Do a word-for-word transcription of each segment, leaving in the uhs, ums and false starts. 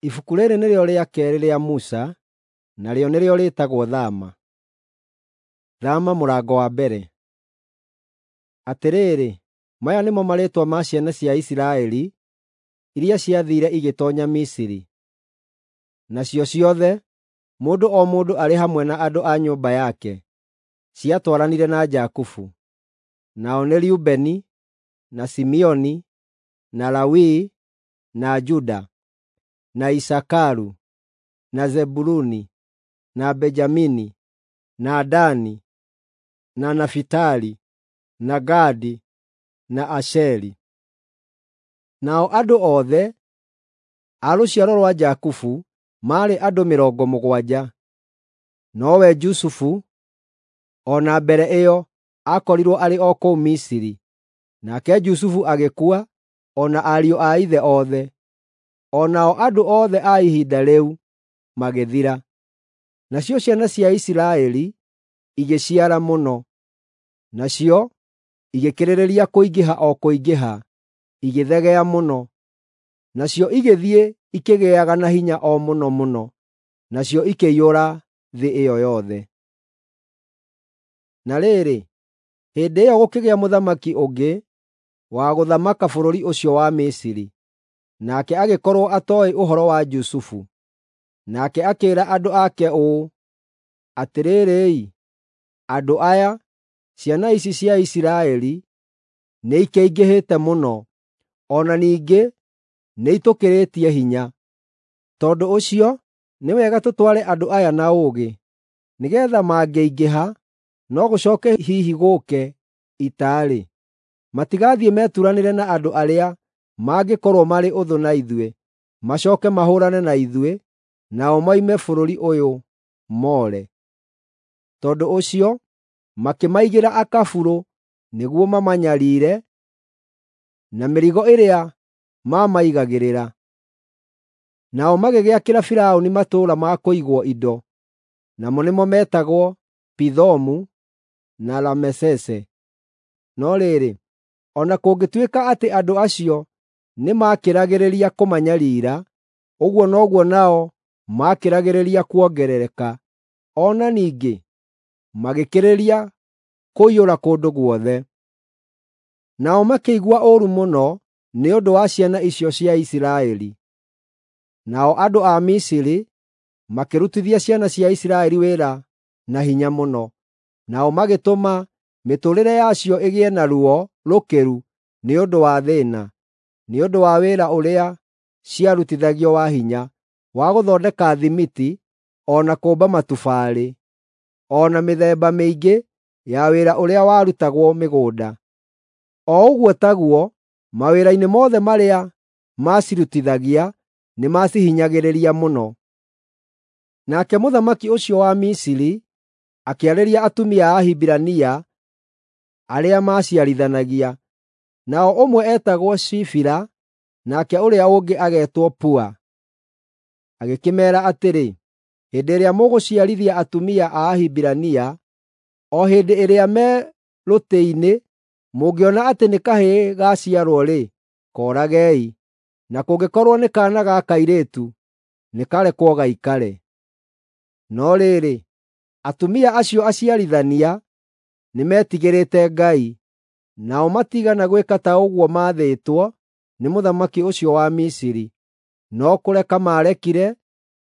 Ibuku rĩĩrĩ nĩrĩo rĩa keerĩ rĩa Musa, narĩo nĩrĩo rĩĩtagwo Thama. Thama mũrango wa mbere. Atĩrĩrĩ, maya nĩmo marĩĩtwa ma ciana cia Isiraeli iria ciathiire igĩtoonya Misiri, nacio ciothe, mũndũ o mũndũ arĩ hamwe na andũ a nyũmba yake, ciatwaranire na Jakubu. Nao nĩ Rubeni, na Simeoni, na Lawi, na Juda, na Isakaru, na Zebuluni, na Benjamini, na Dani, na Nafitali, na Gadi, na Asheri. Nao andũ othe a rũciaro rwa Jakubu maarĩ andũ mĩrongo mũgwanja. Nowe Jusufu, o na mbere ĩyo, aakorirwo arĩ o kũu Misiri. Nake Jusufu agĩkua, o na ariũ a ithe othe. O nao andũ othe a ihinda rĩu magĩthira. Nacio ciana cia Isiraeli igĩciara mũno, nacio igĩkĩrĩrĩria kũingĩha o kũingĩha, igĩthegea mũno. Nacio igĩthiĩ ikĩgĩaga na hinya o mũno mũno, nacio ikĩiyũra thĩ ĩyo yothe. Na rĩrĩ, hĩndĩ ĩyo gũkĩgĩa mũthamaki ũngĩ wa gũthamaka bũrũri ũcio wa Misiri, nake agĩkorwo atooĩ ũhoro wa Jusufu. Nake akĩĩra andũ ake ũũ, “Atĩrĩrĩ-i, andũ aya, ciana ici cia Isiraeli, nĩikĩingĩhĩte mũno, o na ningĩ nĩitũkĩrĩtie hinya. Tondũ ũcio nĩ wega tũtware andũ aya na ũũgĩ, nĩgeetha mangĩingĩha no gũcooke hihi gũũke ita-rĩ, matigathiĩ meturanĩre na andũ arĩa mangĩkorwo marĩ ũthũ na ithuĩ, macooke mahũũrane na ithuĩ, nao moime bũrũri ũyũ moore.” Tondũ ũcio makĩmaigĩra akaburũ nĩguo mamanyariire na mĩrigo ĩrĩa maamaigagĩrĩra. Nao magĩgĩakĩra Firaũni matũũra ma kũigwo indo, namo nĩmo metagwo Pithomu na Ramesese. No rĩrĩ, o na kũngĩtuĩka atĩ andũ acio nĩmakĩragĩrĩria kũmanyariira, ũguo noguo nao maakĩragĩrĩria kuongerereka, o na ningĩ magĩkĩrĩria kũiyũra kũndũ guothe. Nao makĩigua ũũru mũno nĩ ũndũ wa ciana icio cia Isiraeli. Nao andũ a Misiri makĩrutithia ciana cia Isiraeli wĩra na hinya mũno, nao magĩtũma mĩtũũrĩre yacio ĩgĩe na ruo rũkĩru nĩ ũndũ wa thĩĩna, nĩ ũndũ wa wĩra ũrĩa ciarutithagio wa hinya, wa gũthondeka thimiti, o na kũũmba matubarĩ, o na mĩthemba mĩingĩ ya wĩra ũrĩa warutagwo mĩgũnda. O ũguo taguo, mawĩra-inĩ mothe marĩa maacirutithagia nĩmacihinyagĩrĩria mũno. Nake mũthamaki ũcio wa Misiri akĩarĩria atumia a Ahibirania arĩa maaciarithanagia. Nao ũmwe eetagwo Shifira nake ũrĩa ũngĩ agetwo Pua. Agĩkĩmeera atĩrĩ, “Hĩndĩ ĩrĩa mũgũciarithia atumia a Ahibirania, o hĩndĩ ĩrĩa me rũtĩ-inĩ, mũngĩona atĩ nĩ kahĩĩ gaaciarwo-rĩ, kooragei, na kũngĩkorwo nĩ kaana ga kairĩtu, nĩkarekwo gaikare.” No rĩrĩ, atumia acio aciarithania nĩmetigĩrĩte Ngai, nao matiigana gwĩka ta ũguo maathĩtwo nĩ mũthamaki ũcio wa Misiri, no kũreka maarekire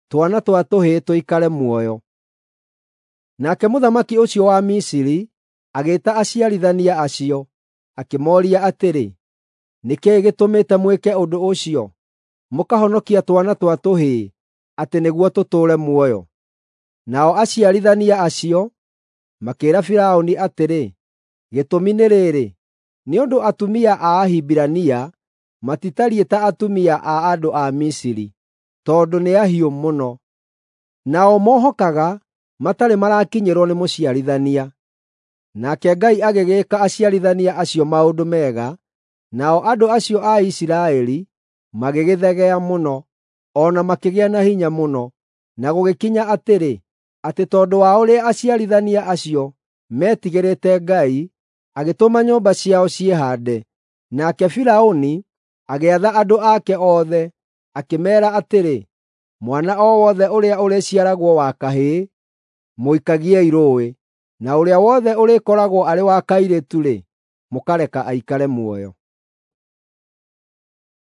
twana twa tũhĩĩ tũikare muoyo. Nake mũthamaki ũcio wa Misiri agĩĩta aciarithania acio, akĩmooria atĩrĩ, “Nĩ kĩĩ gĩtũmĩte mwĩke ũndũ ũcio, mũkahonokia twana twa tũhĩĩ atĩ nĩguo tũtũũre muoyo?” Nao aciarithania acio makĩĩra Firaũni atĩrĩ, “Gĩtũmi nĩ rĩĩrĩ, nĩ ũndũ atumia a Ahibirania matitariĩ ta atumia a andũ a Misiri, tondũ nĩ ahiũ mũno. Nao mohokaga matarĩ marakinyĩrwo nĩ mũciarithania.” Nake Ngai agĩgĩĩka aciarithania acio maũndũ mega, nao andũ acio a Isiraeli magĩgĩthegea mũno, o na makĩgĩa na hinya mũno. Na gũgĩkinya atĩrĩ, atĩ tondũ wa ũrĩa aciarithania acio meetigĩrĩte Ngai, agĩtũma nyũmba ciao ciĩhaande. Nake Firaũni agĩatha andũ ake othe, akĩmeera atĩrĩ, Mwana o wothe ũrĩa ũrĩciaragwo wa kahĩĩ, mũikagiei rũũĩ, na ũrĩa wothe ũrĩkoragwo arĩ wa kairĩtu-rĩ, mũkareka aikare muoyo.